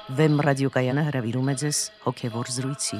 Վեմ ռադիոկայանը հրավիրում է ձեզ հոգևոր զրույցի։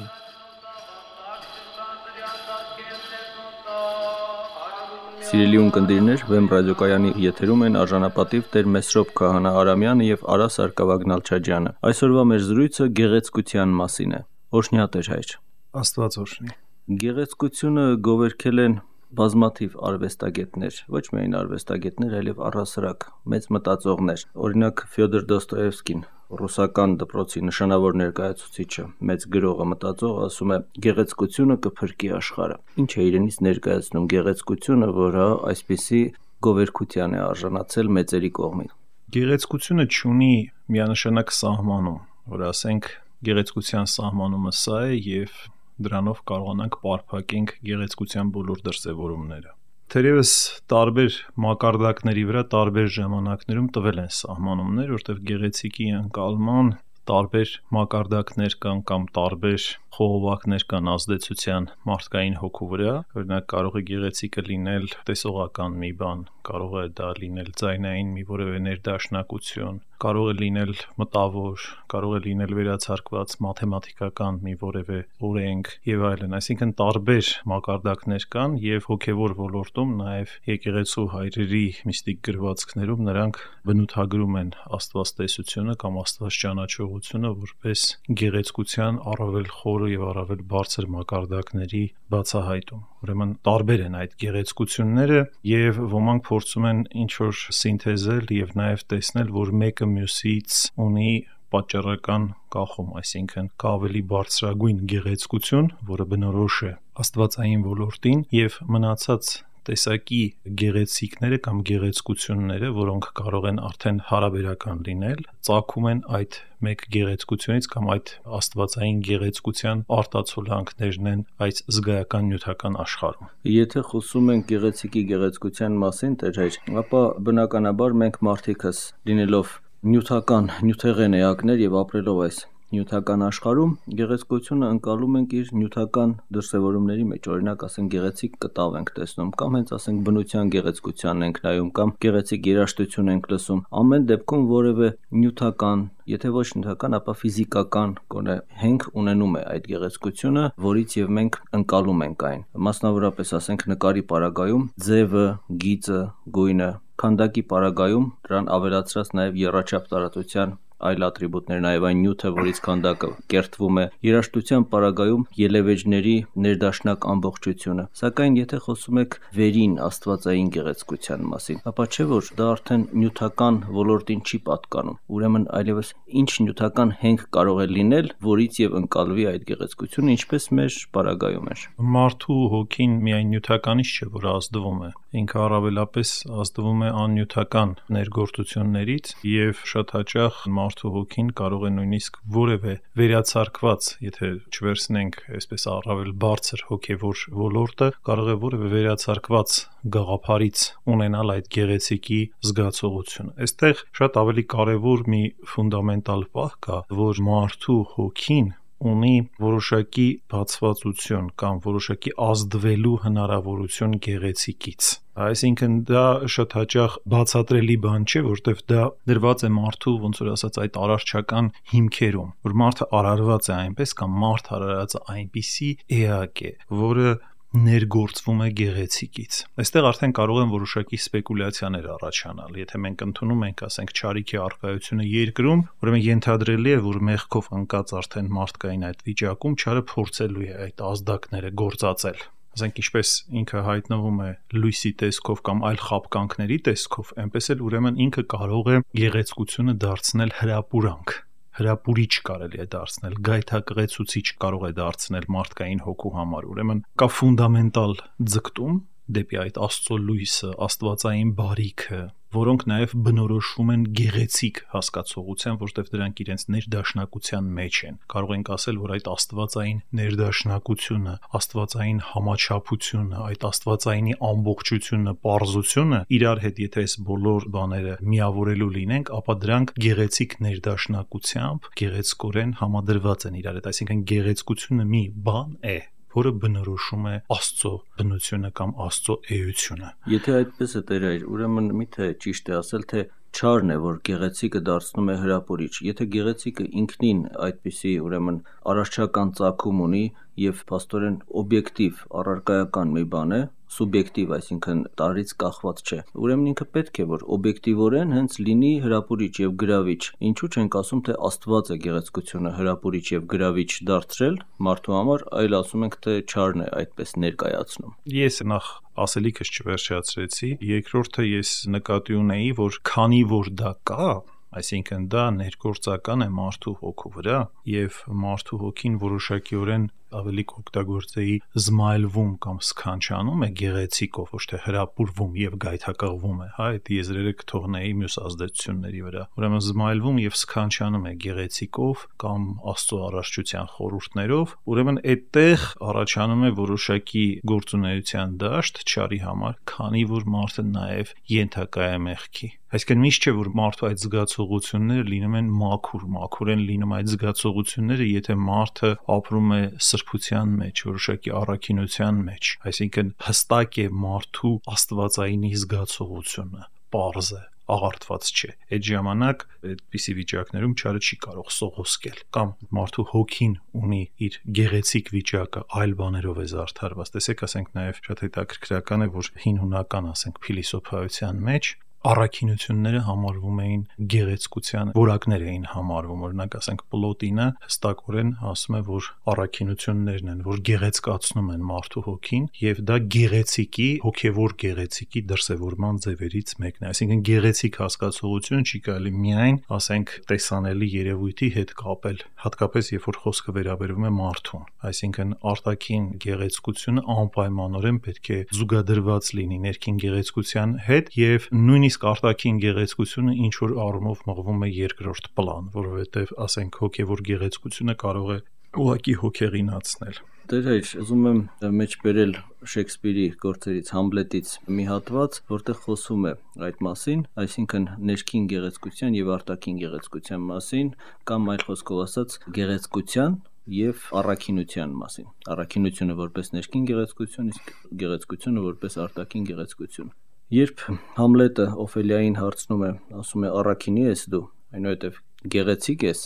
Սիրելի ունկնդիրներ, Վեմ ռադիոկայանի եթերում են արժանապատիվ Տեր Մեսրոպ Քահանա Արամյանը եւ Արա Սարգսակյան Նալչաջյանը։ Այսօրվա մեր զրույցը գեղեցկության մասին է։ Օրհնյա Տեր հայր։ Աստված օրհնի։ Գեղեցկությունը գովերքել են բազմաթիվ արվեստագետներ, ոչ միայն արվեստագետներ, այլև առհասարակ մեծ մտածողներ։ Օրինակ Ֆյոդոր Դոստոևսկին, ռուսական դպրոցի նշանավոր ներկայացուցիչը, մեծ գրողը, մտածող, ասում է. գեղեցկությունը կփրկի աշխարհը։ Ինչ է իրենից ներկայացնում գեղեցկությունը, որը այսպիսի գովերքության է արժանացել մեծերի կողմից։ Գեղեցկությունը չունի միանշանակ սահմանում, որ ասենք գեղեցկության սահմանումը սա է եւ դրանով կարողանանք պարփակենք գեղեցկության բոլոր դրսևորումները։ Թերևս տարբեր մակարդակների վրա տարբեր ժամանակներում տվել են սահմանումներ, որտեղ գեղեցիկի ընկալման տարբեր մակարդակներ կան կամ տարբեր խողովակներ կան ազդեցության մարդկային հոգու վրա։ Օրինակ կարող է գեղեցիկը լինել տեսողական մի բան, կարող է դա լինել ձայնային մի որևէ ներդաշնակություն, կարող է լինել մտավոր, կարող է լինել վերացարկված մաթեմատիկական մի որևէ օրենք եւ այլն, այսինքն տարբեր մակարդակներ կան եւ հոգեվոր ոլորտում նաեւ եկեղեցու հայրերի միստիկ գրվածքներում նրանք բնութագրում են աստվածտեսությունը կամ աստվածճանաչողությունը որպես գեղեցկության առավել խորը եւ առավել բարձր մակարդակների բացահայտում։ Ուրեմն տարբեր են այդ գեղեցկությունները եւ ոմանք փորձում են ինչ-որ սինթեզել եւ նաեւ տեսնել, որ մեկը մյուսից ունի պատճառական կախում, այսինքն կա ավելի բարձրագույն գեղեցկություն, որը բնորոշ է աստվածային ոլորտին եւ մնացած տեսակի գեղեցիկները կամ գեղեցկությունները, որոնք կարող են արդեն հարաբերական լինել, ծագում են այդ մեկ գեղեցկությունից կամ այդ աստվածային գեղեցկության արտացոլանքներն են այս զգայական նյութական աշխարհում։ Եթե խոսում ենք գեղեցիկի գեղեցկության մասին, Տեր հայր, ապա բնականաբար մենք մարդիկս լինելով նյութական, նյութեղեն էակներ եւ ապրելով այս նյութական աշխարհում գեղեցկությունը ընկալում ենք իր նյութական դրսևորումների մեջ, օրինակ ասենք գեղեցիկ կտավ ենք տեսնում կամ հենց ասենք բնության գեղեցկությանն ենք նայում կամ գեղեցիկ երաժշտություն ենք լսում, ամեն դեպքում որևէ նյութական, եթե ոչ նյութական, ապա ֆիզիկական գոնե հենք ունենում է այդ գեղեցկությունը, որից եւ մենք ընկալում ենք այն։ Մասնավորապես ասենք նկարի պարագայում ձևը, գիծը, գույնը, քանդակի պարագայում դրան ավելացրած նաեւ եռաչափ տարածության այլ ատրիբուտներ, նաև այն նյութը, որից քանդակը կերտվում է, երաժշտության պարագայում ելևէջների ներդաշնակ ամբողջությունը։ Սակայն եթե խոսում եք վերին աստվածային գեղեցկության մասին, ապա չէ՞ որ դա արդեն նյութական ոլորտին չի պատկանում։ Ուրեմն այլևս ինչ նյութական հենք կարող է լինել, որից եւ ընկալվի այդ գեղեցկությունը, ինչպես մեր պարագայում էր։ Մարդու հոգին միայն նյութականից չէ, որ ազդվում է, ինքը առավելապես ազդվում է աննյութական ներգործություններից եւ շատ հաճախ մարդու հոգին կարող է նույնիսկ որևէ վերացարկված, եթե չվերցնենք այսպես առավել բարձր հոգեվոր ոլորտը, կարող է որևէ վերացարկված գաղափարից ունենալ այդ գեղեցիկի զգացողությունը։ Այստեղ շատ ավելի կարևոր մի ֆունդամենտալ պահ կա, որ մարդու հոգին ունի որոշակի բացվածություն կամ որոշակի ազդվելու հնարավորություն գեղեցիկից։ Այսինքն դա շատ հաճախ բացատրելի բան չէ, որտեղ դա դրված է մարդու, ոնց որ ասած, այդ արարչական հիմքերում, որ մարդը արարված է այնպես կամ մարդ արարած է այնպիսի էակ է, որը ներգործվում է գեղեցիկից։ Այստեղ արդեն կարող են որոշակի սպեկուլյացիաներ առաջանալ։ Եթե մենք ընդունում ենք, ասենք, չարիքի առկայությունը երկրում, ուրեմն ենթադրելի է, որ մեղքով ընկած արդեն մարդկային այդ վիճակում չարը փորձելու է այդ ազդակները գործածել։ Ասենք ինչպես ինքը հայտնվում է լույսի տեսքով կամ այլ խաբկանքների տեսքով, այնպես էլ ուրեմն ինքը կարող է գեղեցկությունը դարձնել հրապուրանք։ Հրապուրիչ կարելի է դարձնել, գայթակղեցուցիչ կարող է դարձնել մարդկային հոգու համար։ Ուրեմն կա ֆունդամենտալ ձգտում դեպի այդ Աստծո լույսը, աստվածային բարիքը, որոնք նաև բնորոշվում են գեղեցիկ հասկացողության, որտեղ դրանք իրենց ներդաշնակության մեջ են։ Կարող ենք ասել, որ այդ աստվածային ներդաշնակությունը, աստվածային համաչափությունը, այդ աստվածայինի ամբողջությունը, պարզությունը իրար հետ եթե այս բոլոր բաները միավորելու լինենք, ապա դրանք գեղեցիկ ներդաշնակությամբ գեղեցկորեն համադրված են իրար հետ, այսինքն գեղեցկությունը մի բան է, որը բնորոշում է Աստծո բնությունը կամ Աստծո էությունը։ Եթե այդպես է Տեր, ուրեմն միթե ճիշտ է ասել, թե չարն է, որ գեղեցիկը դարձնում է հրապուրիչ։ Եթե գեղեցիկը ինքնին այդպիսի ուրեմն առարչական ծագում ունի եւ փաստորեն օբյեկտիվ առարկայական մի բան է, սուբյեկտիվ, այսինքն տարրից կախված չէ, ուրեմն ինքը պետք է որ օբյեկտիվորեն հենց լինի հրապուրիչ եւ գրավիչ։ Ինչու չենք ասում, թե Աստված է գեղեցկությունը հրապուրիչ եւ գրավիչ դարձրել մարդու համար, այլ ասում ենք, թե չարն է այդպես ներկայացնում։ Ես նախ ասելիքս չվերջացրեցի, երկրորդը ես նկատի ունեի, որ քանի որ դա կա, այսինքն դա ներգործական է մարդու հոգու վրա եւ մարդու հոգին որոշակիորեն ավելի կօգտագործեի զմայլվում կամ սքանչանում է գեղեցիկով, ոչ թե հրապուրվում եւ գայթակղվում է, այդ եզրերը կթողնեի մյուս ազդեցությունների վրա։ Ուրեմն զմայլվում եւ սքանչանում է գեղեցիկով կամ Աստծո առարչության խորհուրդներով, ուրեմն այդտեղ առաջանում է որոշակի գործունեության դաշտ չարի համար, քանի որ մարդը նաեւ ենթակա է մեղքի։ Այսինքն միշտ չէ որ մարդու այդ զգացողությունները լինում են մաքուր են լինում այդ զգացողությունները, եթե մարդը ապրում է սրբության մեջ, որոշակի առաքինության մեջ, այսինքն հստակ է մարդու աստվածայինի զգացողությունը, պարզ է, աղարտված չէ։ Այդ ժամանակ այդպիսի վիճակներում չարը չի կարող սողոսկել, կամ մարդու հոգին ունի իր գեղեցիկ վիճակը այլ բաներով է զարդարված։ Տեսեք, ասենք նաև շատ հետաքրքրական է, որ հին հունական, ասենք, փիլիսոփայության մեջ առաքինությունները համարվում էին գեղեցկության որակներ էին համարվում, օրինակ ասենք Պլոտինը հստակորեն ասում է, որ առաքինություններն են, որ գեղեցկացնում են մարդու հոգին եւ դա գեղեցիկի, հոգեվոր գեղեցիկի դրսևորման ձևերից մեկն է, այսինքն գեղեցիկ հասկացողություն չի կարելի միայն, ասենք, տեսանելի երևույթի հետ կապել, հատկապես երբ որ խոսքը վերաբերվում է մարդուն, այսինքն արտաքին գեղեցկությունը անպայմանորեն պետք է զուգադրված լինի ներքին գեղեցկության հետ եւ նույնիսկ արտաքին գեղեցկությունը ինչ որ առումով մղվում է երկրորդ պլան, որովհետև ասենք հոգևոր գեղեցկությունը կարող է ուղղակի հոգեղինացնել։ Տեր հայր, ուզում եմ մեջբերել Շեքսպիրի գործերից Համլետից մի հատված, որտեղ խոսում է այդ մասին, այսինքն ներքին գեղեցկության եւ արտաքին գեղեցկության մասին, կամ այլ խոսքով ասած գեղեցկության եւ առաքինության մասին։ Առաքինությունը որպես ներքին գեղեցկություն, իսկ գեղեցկությունը որպես արտաքին գեղեցկություն։ Երբ Համլետը Օֆելիային հարցնում է, ասում է առաքինի ես դու, այնուհետև գեղեցիկ ես,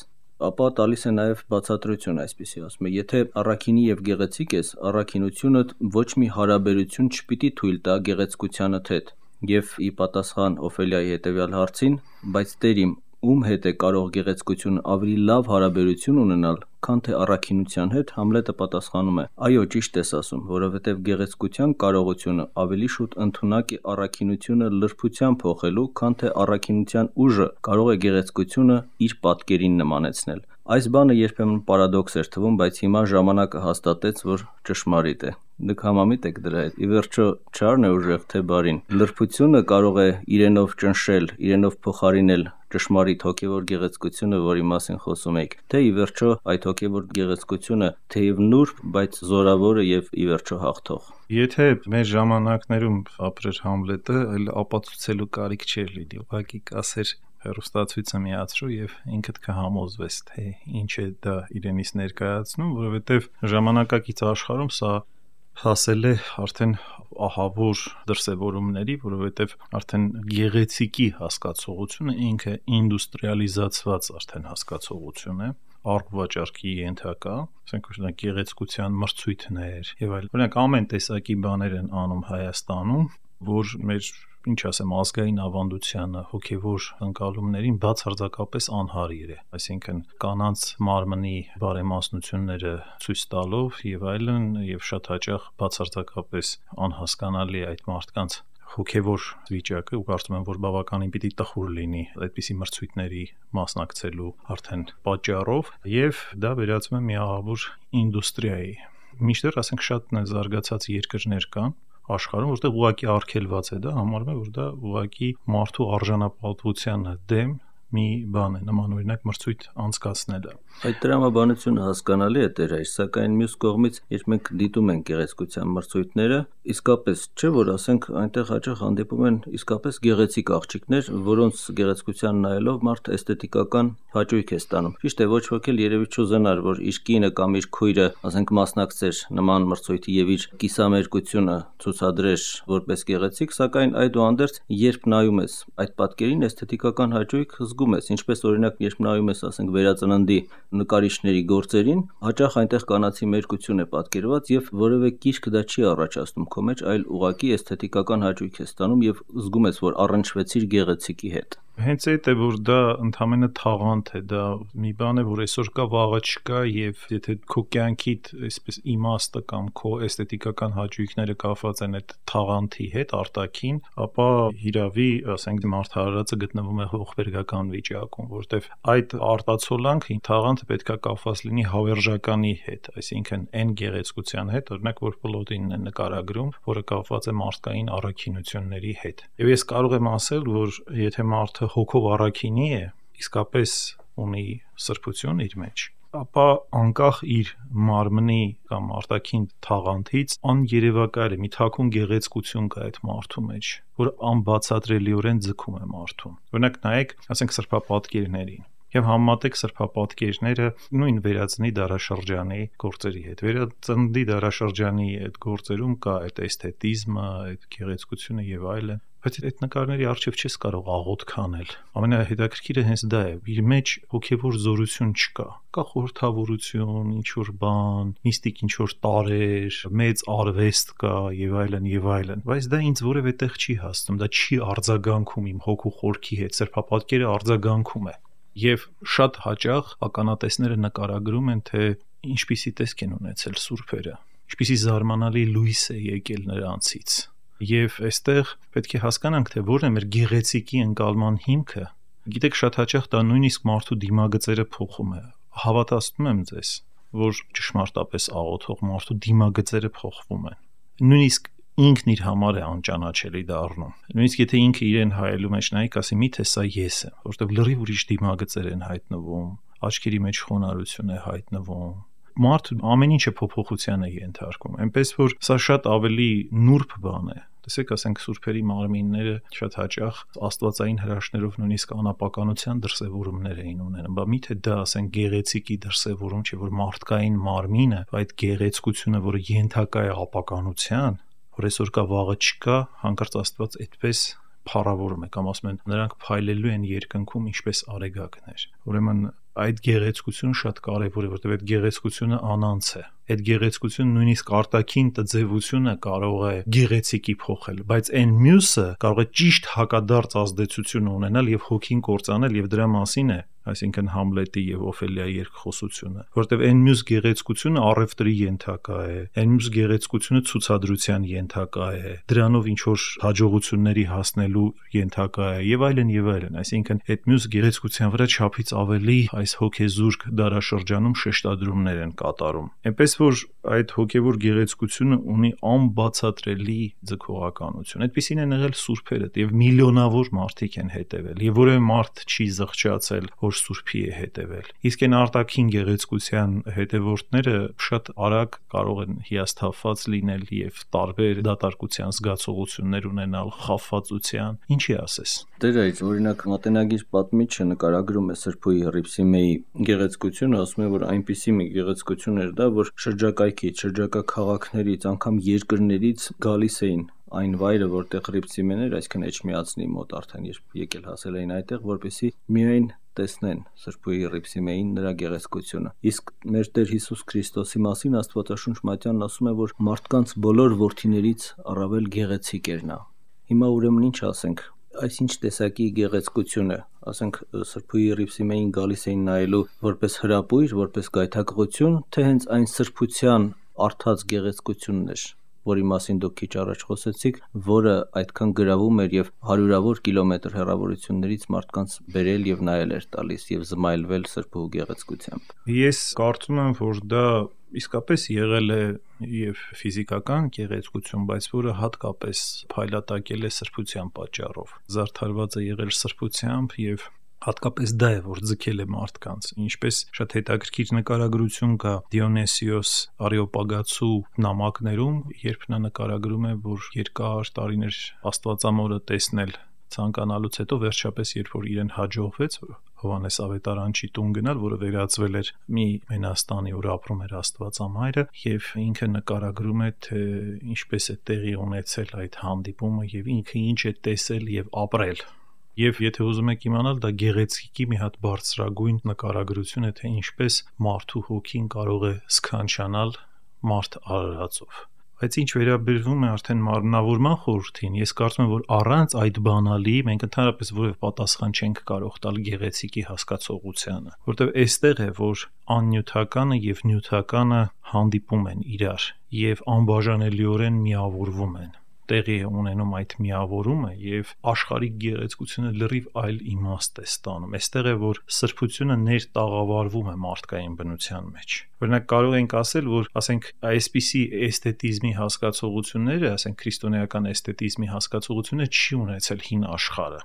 ապա տալիս է նաև բացատրություն այսպիսի, ասում է, եթե առաքինի եւ գեղեցիկ ես, առաքինությունդ ոչ մի հարաբերություն չպիտի թույլ տա գեղեցկությանդ հետ։ Եվ ի պատասխան Օֆելիայի հետևյալ հարցին, բայց Տեր իմ, ում հետ է կարող գեղեցկությունը ավելի լավ հարաբերություն ունենալ, քան թե առաքինության հետ, Համլետը պատասխանում է. այո, ճիշտ ես ասում, որովհետև գեղեցկության կարողությունը ավելի շուտ ընդունակ է առաքինությունը լրբության փոխելու, քան թե առաքինության ուժը կարող է գեղեցկությունը իր պատկերին նմանեցնել։ Այս բանը երբեմն պարադոքս էր թվում, բայց հիմա ժամանակը հաստատեց, որ ճշմարիտ է։ Դուք համամիտ եք դրա հետ։ Ի վերջո, չարն է ուժեղ թե բարին։ Լրբությունը կարող է իրենով ճնշել, իրենով փոխարինել ճշմարիտ հոգևոր գեղեցկությունը, որի մասին խոսում եք, թե ի վերջո այդ հոգևոր գեղեցկությունը թեև նուրբ, բայց զորավոր է եւ ի վերջո հաղթող։ Եթե մեր ժամանակներում ապրեր Համլետը, այլ ապացուցելու կարիք չէր լինի, ուղղակի կասեր հեռուստացույցը միացրու եւ ինքդ կհամոզվես, թե ինչ է դա իրենից ներկայացնում, որովհետեւ ժամանակակից աշխարհում սա հասել է արդեն ահավոր դրսևորումների, որովհետև արդեն գեղեցիկի հասկացողությունը ինքը ինդուստրիալիզացված արդեն հասկացողություն է, առողջարքի ենթակա, ասենք օրինակ գեղեցկության մրցույթներ եւ այլ։ Օրինակ ամեն տեսակի բաներ են անում Հայաստանում, որ մեր ինչ ասեմ, ազգային ավանդությանը, հոգևոր ընկալումներին բացարձակապես անհարիր է, այսինքն կանանց մարմնի բարեմասնությունները ցույց տալով եւ այլն, եւ շատ հաճախ բացարձակապես անհասկանալի է այդ մարդկանց հոգևոր վիճակը, ու կարծում եմ, որ բավականին պիտի տխուր լինի այդպիսի մրցույթների մասնակցելու արդեն պատճառով, եւ դա վերածվում է մի ահավոր ինդուստրիայի։ Մինչդեռ ասենք շատ զարգացած երկրներ կան աշխարհում, որտեղ ուղղակի արգելված է դա, համարվում է, որ դա ուղղակի մարդու արժանապատվությանը դեմ մի բան է, նման օրինակ մրցույթ անցկացնելը։ Այդ տրամաբանությունը հասկանալի է Տեր հայր, սակայն մյուս կողմից, երբ մենք դիտում ենք գեղեցկության մրցույթները, իսկապես չէ, որ ասենք այնտեղ հաճախ հանդիպում են իսկապես գեղեցիկ աղջիկներ, որոնց գեղեցկության նայելով մարդ էսթետիկական հաճույք է ստանում։ Ճիշտ է, ոչ ոք էլ երևի չուզենար, որ իր կինը կամ իր քույրը, ասենք, մասնակցեր նման մրցույթի եւ իր կիսամերկությունը ցուցադրեր որպես գեղեցիկ, սակայն այդուհանդերձ, երբ նայում ես այդ պատկերին, էսթետիկական հաճույք զգում ես, ինչպես օրինակ, երբ նայում ես, ասենք, վերածննդի նկարիչների գործերին, հաճախ այնտեղ կանացի մերկություն է պատկերված եւ որևէ կիրք դա չի առաջացնում քո մեջ, այլ ուղղակի էսթետիկական հաճույք է ստանում եւ զգում ես, որ առնչվեցիր գեղեցիկի հետ։ Հենց այդ է, որ դա ընդհանրապես թաղանթ է, դա մի բան է, որ այսօր կա, վաղը չկա, եւ եթե քո կյանքիդ այսպես իմաստը կամ քո էսթետիկական հաճույքները կապված են այդ թաղանթի հետ արտաքին, ապա հիրավի, ասենք, մարդահարածը գտնվում է ողբերգական վիճակում, որտեվ այդ արտացոլանքը թաղանթը պետքա կապված լինի հավերժականի հետ, այսինքն այն գեղեցկության հետ, օրինակ, որ պլոտինն է նկարագրում, որը կապված է մարդկային առաքինությունների հետ։ Եվ ես կարող եմ ասել, որ եթե մարդը հոգով առաքինի է, իսկապես ունի սրբություն իր մեջ, ապա անկախ իր մարմնի կամ արտաքին թաղանթից աներևակայել է, մի թաքուն գեղեցկություն կա այդ մարդու մեջ, որ անբացատրելիորեն ձգում է մարդուն։ Օրինակ նայեք, ասենք, սրբապատկերներին եւ համատեք սրբապատկերները նույն վերածնի դարաշրջանի գործերի հետ։ Վերածննդի դարաշրջանի այդ գործերում կա այդ էսթետիզմը, այդ գեղեցկությունը եւ այլն, բայց այդ նկարների առջև չես կարող աղոթք անել։ Ամենահետաքրքիրը հենց դա է, իր մեջ հոգևոր զորություն չկա։ Կա խորհրդավորություն, ինչ-որ բան, միստիկ ինչ-որ տարեր, մեծ արվեստ կա եւ այլն եւ այլն, բայց դա ինձ որևէ տեղ չի հասնում, դա չի արձագանքում իմ հոգու խորքի հետ, սրբապատկերը արձագանքում է։ Եվ շատ հաճախ ականատեսները նկարագրում են, թե ինչպիսի տեսք են ունեցել սուրբերը, ինչպիսի զարմանալի լույս է եկել նրանցից։ Եվ այստեղ պետք է հասկանանք, թե որն է մեր գեղեցիկի ընկալման հիմքը։ Գիտեք, շատ հաճախ դա նույնիսկ մարդու դիմագծերը փոխում է։ Հավատացնում եմ ձեզ, որ ճշմարտապես աղոթող մարդու դիմագծերը փոխվում են։ Նույնիսկ ինքն իր համար է անճանաչելի դառնում։ Նույնիսկ եթե ինքը իրեն հայելու մեջ նայի, ասի՝ միթե սա ես եմ, որովհետև լրիվ ուրիշ դիմագծեր են հայտնվում, աչքերի մեջ խոնարհություն է հայտնվում։ Մարդը ամեն ինչը փոփոխության է ենթարկում, այնպես որ սա շատ ավելի նուրբ բան է։ Տեսեք, ասենք, սուրբերի մարմինները շատ հաճախ աստվածային հրաշքներով նույնիսկ անապականության դրսևորումներ էին ունենում։ Բա միթե դա, ասենք, գեղեցիկի դրսևորում չէ, որ մարդկային մարմինը, այդ գեղեցկությունը, որը ենթակա է ապականության, որ այսօր կա, վաղը չկա, հանկարծ Աստված այդպես փառավորում է, կամ ասում են, նրանք փայլելու են երկնքում ինչպես արեգակներ։ Ուրեմն այդ գեղեցկությունը շատ կարևոր է, որովհետև այդ գեղեցկությունը անանց է։ Այդ գեղեցկությունը նույնիսկ արտաքին տձևությունը կարող է գեղեցիկի փոխել, բայց այն մյուսը կարող է ճիշտ հակադարձ ազդեցություն ունենալ եւ հոգին կործանել, եւ դրա մասին է, այսինքն Համլետի եւ Օֆելիայի երկխոսությունը, որովհետեւ այն մյուս գեղեցկությունը առևտրի ենթակա է, այն մյուս գեղեցկությունը ցուցադրության ենթակա է, դրանով ինչ որ հաջողությունների հասնելու ենթակա է եւ այլն, այսինքն այդ մյուս գեղեցկության վրա չափից ավելի այս հոգեզուրկ դարաշրջանում շեշտադրումներ են կատարում։ Այնպես որ այդ հոգևոր գեղեցկությունը ունի անբացատրելի ձգողականություն։ Այդպիսին են եղել սուրբերը եւ միլիոնավոր մարդիկ են հետևել եւ որևէ մարդ չի զղջացել, որ սուրբի է հետևել։ Իսկ այն արտաքին գեղեցկության հետևորդները շատ արագ կարող են հիասթափված լինել եւ տարբեր դատարկության զգացողություններ ունենալ, խաբվածության, ինչի ասես։ Դեր այդ օրինակ մատենագիր պատմիչը նկարագրում է Սրբուհի Հռիփսիմեի գեղեցկությունը, ասում է, որ այնպիսի մի գեղեցկություն էր դա, որ շրջակայքից, շրջակա քաղաքներից, անգամ երկրներից գալիս էին այն վայրը, որտեղ Հռիփսիմեն էր, այսինքն Էջմիածնի մոտ արդեն երբ եկել հասել էին այդտեղ, որպեսզի միայն տեսնեն Սրբուհի Հռիփսիմեին նրա գեղեցկությունը։ Իսկ մեր Տեր Հիսուս Քրիստոսի մասին Աստվածաշունչ Մատյանն ասում է, որ մարդկանց բոլոր որդիներից առավել գեղեցիկ էր նա։ Հիմա ուրեմն ինչ ասենք, այսինչ տեսակի գեղեցկությունը, ասենք, Սրբուհի Հռիփսիմեին գալիս էին նայելու որպես հրապույր, որպես գայթակղություն, թե հենց այն սրբության արդած գեղեցկությունն էր, որի մասին դուք քիչ առաջ խոսեցիք, որը այդքան գրավում էր եւ հարյուրավոր կիլոմետր հեռավորություններից մարդկանց բերել եւ նայել էր տալիս եւ զմայլվել Սրբուհու գեղեցկությամբ։ Ես կարծում եմ, որ դա իսկապես եղել է եւ ֆիզիկական գեղեցկություն, բայց որը հատկապես փայլատակել է սրբության պատճառով։ Զարդարված է եղել սրբությամբ եւ Հատկապես դա է, որ ձգել է մարդկանց։ Ինչպես շատ հետաքրքիր նկարագրություն կա Դիոնեսիոս Արեոպագացու նամակներում, երբ նա նկարագրում է, որ երկար տարիներ Աստվածամորը տեսնել ցանկանալուց հետո վերջապես երբ որ իրեն հաջողվեց Հովհաննես Ավետարանչի տուն գնալ, որը վերածվել էր մի մենաստանի, որ ապրում էր Աստվածամայրը, եւ ինքը նկարագրում է, թե ինչպես է տեղի ունեցել այդ հանդիպումը եւ ինքը ինչ է տեսել եւ ապրել։ Եվ եթե ուզում եք իմանալ, դա գեղեցիկի մի հատ բարձրագույն նկարագրություն է, թե ինչպես մարդու հոգին կարող է սքանչանալ մարդ արարածով։ Բայց ինչ վերաբերվում է արդեն մարմնավորման խորհրդին, ես կարծում եմ, որ առանց այդ բանալի մենք ընդհանրապես որևէ պատասխան չենք կարող տալ գեղեցիկի հասկացողությանը, որտեղ այստեղ է, որ աննյութականը եւ նյութականը հանդիպում են իրար եւ անբաժանելիորեն միավորվում են։ Տեղի է ունենում այդ միավորումը եւ աշխարհիկ գեղեցկությունը լրիվ այլ իմաստ է ստանում։ Այստեղ է, որ սրբությունը ներտաղավարվում է մարդկային բնության մեջ։ Օրինակ կարող ենք ասել, որ ասենք այսպիսի էսթետիզմի հասկացողությունները, ասենք քրիստոնեական էսթետիզմի հասկացողությունը չի ունեցել հին աշխարհը,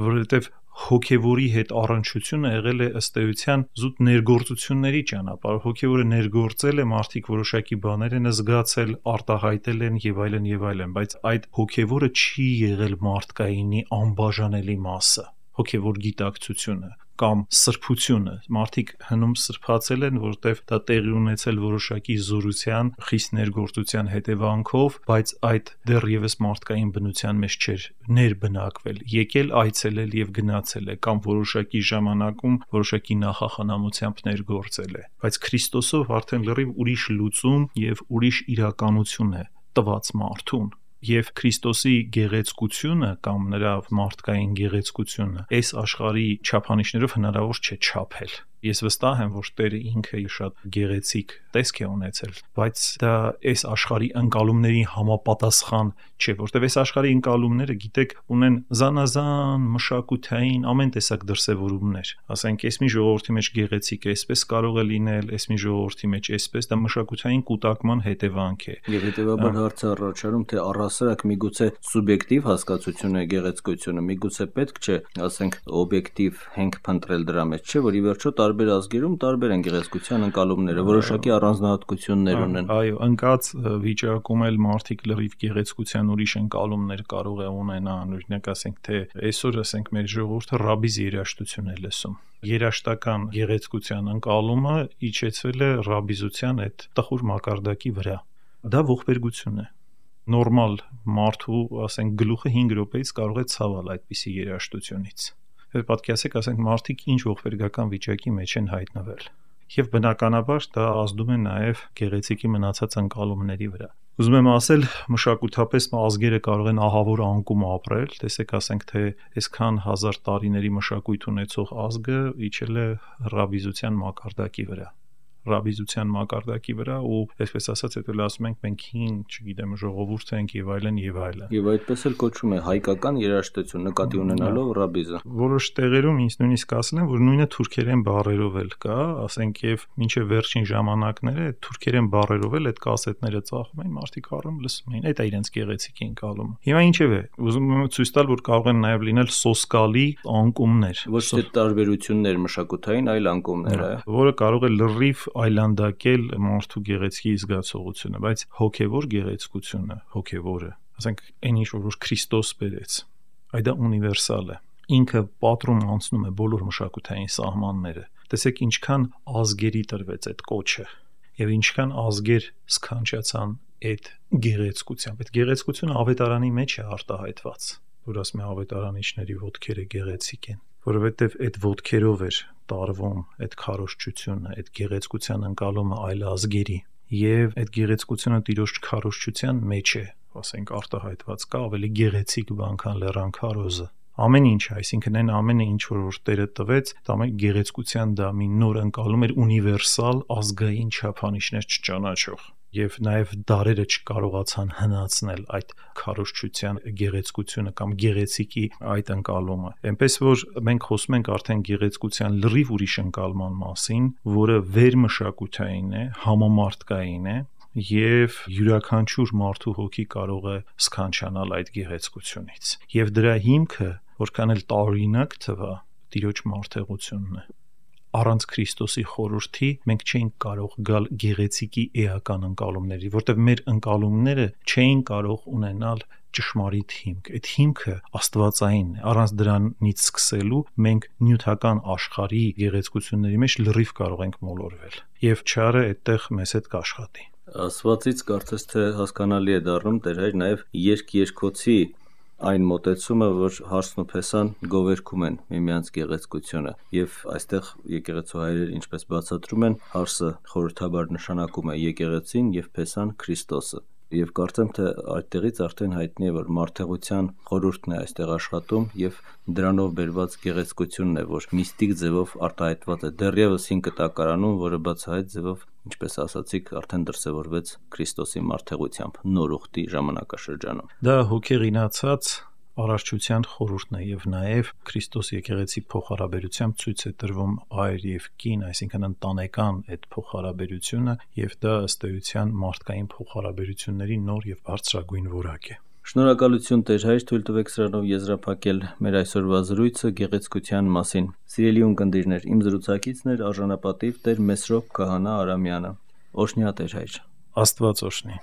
որովհետեւ հոգևորի հետ առնչությունը եղել է ըստ էության զուտ ներգործությունների ճանապարհ։ Հոգևորը ներգործել է, մարդիկ որոշակի բաներ են զգացել, արտահայտել են եւ այլն, բայց այդ հոգևորը չի եղել մարդկայինի անբաժանելի մասը։ Հոգևոր գիտակցությունը կամ սրբությունը, մարդիկ հնում սրբացել են, որտեղ դա տեղի ունեցել որոշակի զորության, խիստ ներգործության հետևանքով, բայց այդ դեռևս մարդկային բնության մեջ չէր ներբնակվել, եկել այցելել եւ գնացել է կամ որոշակի ժամանակում որոշակի նախախնամությամբ ներգործել է, բայց Քրիստոսով արդեն լրիվ ուրիշ լուծում եւ ուրիշ իրականություն է տված մարդուն։ Եվ Քրիստոսի գեղեցկությունը կամ նրա մարդկային գեղեցկությունը այս աշխարհի չափանիշներով հնարավոր չէ չափել։ Ես վստահ եմ, որ Տերը ինքը շատ գեղեցիկ տեսք է ունեցել, բայց դա այս աշխարհի ընկալումների համապատասխան չէ, որտեղ այս աշխարհի ընկալումները, գիտեք, ունեն զանազան մշակութային ամեն տեսակ դրսևորումներ։ Ասենք, այս մի ժողովրդի մեջ գեղեցիկ է, այսպես կարող է լինել, այս մի ժողովրդի մեջ այսպես, դա մշակութային կուտակման հետևանք է։ Եվ հետևաբար հարցը առաջանում, թե առհասարակ միգուցե սուբյեկտիվ հասկացություն է գեղեցկությունը, միգուցե պետք չէ, ասենք, օբյեկտիվ հենք փնտրել դրա մեջ, չէ, որ ի վերջո տարբեր ազգերում տարբեր են գեղեցկության ընկալումները, որոշակի առանձնահատկություններ ունեն։ Այո, ընկած վիճակում էլ մարդիկ լրիվ գեղեցկության ուրիշ ընկալումներ կարող է ունենան, օրինակ ասենք, թե այսօր ասենք մեր ժողովուրդը ռաբիզ երաժշտություն է լսում։ Երաժշտական գեղեցկության ընկալումը իջեցվել է ռաբիզության այդ տխուր մակարդակի վրա։ Դա ողբերգություն է։ Նորմալ մարդու, ասենք, գլուխը 5 րոպեից կարող է ցավել այդպիսի երաժշտությունից։ Պատկերացեք, ասենք, մարդիկ ինչ ողբերգական վիճակի մեջ են հայտնվել։ Եվ բնականաբար դա ազդում է նաև գեղեցիկի մնացած ընկալումների վրա։ Ուզում եմ ասել, մշակութապես ազգերը կարող են ահավոր անկում ապրել, տեսեք, ասենք, թե այսքան հազար տարիների մշակույթ ունեցող ազգը իջել է ռաբիզության մակարդակի վրա։ Ռաբիզության մակարդակի վրա ու այսպես ասած հետո ասում ենք մենք հին, չգիտեմ, ժողովուրդ ենք եւ այլն եւ այլն։ Եվ այդպես էլ կոչվում է հայկական երաժշտություն նկատի ունենալով ռաբիզը։ Որոշ տեղերում ինձ նույնիսկ ասել են, որ նույնը թուրքերեն բառերով էլ կա, ասենք եւ մինչեւ վերջին ժամանակները թուրքերեն բառերով էլ այդ կասետները ծախում էին, մարդիկ առում լսում էին, այդ է իրենց գեղեցիկ ընկալումը։ Հիմա ինչեւ է, ուզում եմ ցույց տալ, որ կարող են նաեւ լինել սոսկալի անկումներ, ոչ թե տարբերություններ մշակութային, այլ անկումներ, որը կարող է լրիվ այլանդակել մարդու գեղեցկի զգացողությունը, բայց հոգևոր գեղեցկությունը, հոգևորը, ասենք, այն ինչ որ Քրիստոս բերեց, այդ դա ունիվերսալ է։ Ինքը պատրում անցնում է բոլոր մշակութային սահմանները։ Տեսեք ինչքան ազգերի տրվեց այդ կոչը եւ ինչքան ազգեր սքանչացան այդ գեղեցկությամբ։ Այդ գեղեցկությունը ավետարանի մեջ է արտահայտված, որ ասում է ավետարանիչների ոտքերը գեղեցիկ են, որովհետև այդ ոտքերով էր տարվում այդ քարոզչությունը, այդ գեղեցկության ընկալումը այլ ազգերի եւ այդ գեղեցկությունը Տիրոջ քարոզչության մեջ է, ասենք, արտահայտված կա ավելի գեղեցիկ բան, քան լեռան քարոզը։ Ամեն ինչ, այսինքն այն ամենը ինչ որ Տերը տվեց, դա ամեն գեղեցկության դա մի նոր ընկալում էր ունիվերսալ ազգային չափանիշներ չճանաչող։ Եվ նաև դարերը չկարողացան հնացնել այդ քարոզչության գեղեցկությունը կամ գեղեցիկի այդ ընկալումը։ Էնպես որ մենք խոսում ենք արդեն գեղեցկության լրիվ ուրիշ ընկալման մասին, որը վերմշակութային է, համամարտկային է եւ յուրաքանչյուր մարդու հոգի կարող է սքանչանալ այդ գեղեցկությունից։ Եվ դրա հիմքը, որքան էլ տարօրինակ թվա, Տիրոջ մարդեղությունն է։ Առանց Քրիստոսի խորհրդի մենք չէինք կարող գալ գեղեցիկի էական ընկալումների, որտեղ մեր ընկալումները չէին կարող ունենալ ճշմարիտ հիմք։ Այդ հիմքը աստվածային է։ Առանց դրանից սկսելու մենք նյութական աշխարհի գեղեցկությունների մեջ լրիվ կարող ենք մոլորվել։ Եվ չարը այդտեղ մեզ հետ կաշխատի։ Ասվածից կարծես թե հասկանալի է դառնում Տեր Հայր նաև երկրի այն մոտեցումը, որ հարսն ու փեսան գովերգում են միմյանց գեղեցկությունը, եւ այստեղ եկեղեցու հայրերը ինչպես բացատրում են, հարսը խորհրդաբար նշանակում է եկեղեցին եւ փեսան Քրիստոսը։ Եվ կարծեմ թե այդտեղից արդեն հայտնի է, որ մարդեղության խորհուրդն է այստեղ աշխատում եւ դրանով բերված գեղեցկությունն է, որ միստիկ ձևով արտահայտված է դեռևս հին կտակարանում, որը բացահայտ ձևով, ինչպես ասացիք, արդեն դրսևորվեց Քրիստոսի մարդեղությամբ նոր ուխտի ժամանակաշրջանում։ Դա հոգեղինացած արարչության խորհուրդն է եւ նաեւ Քրիստոս եկեղեցի փոխհարաբերությամբ ցույց է տրվում հայր եւ կին, այսինքն ընտանեկան այդ փոխհարաբերությունը, եւ դա ըստ էության մարդկային փոխհարաբերությունների նոր եւ բարձրագույն որակ է։ Շնորհակալություն Տեր Հայր, թույլ տվեք սրանով եզրափակել մեր այսօրվա զրույցը գեղեցկության մասին։ Սիրելի ունկնդիրներ, իմ զրուցակիցն էր արժանապատիվ Տեր Մեսրոպ Քահանա Արամյանը։ Օրհնյա Տեր Հայր։ Աստված օրհնի։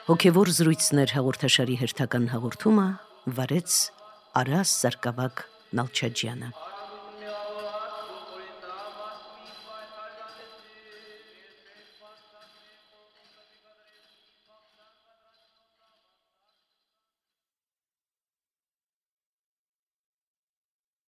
Հոգևոր զրույցներ հաղորդաշարի հերթական հաղորդումը վարեց Արաս Սարգսակ Նալչաջյանը։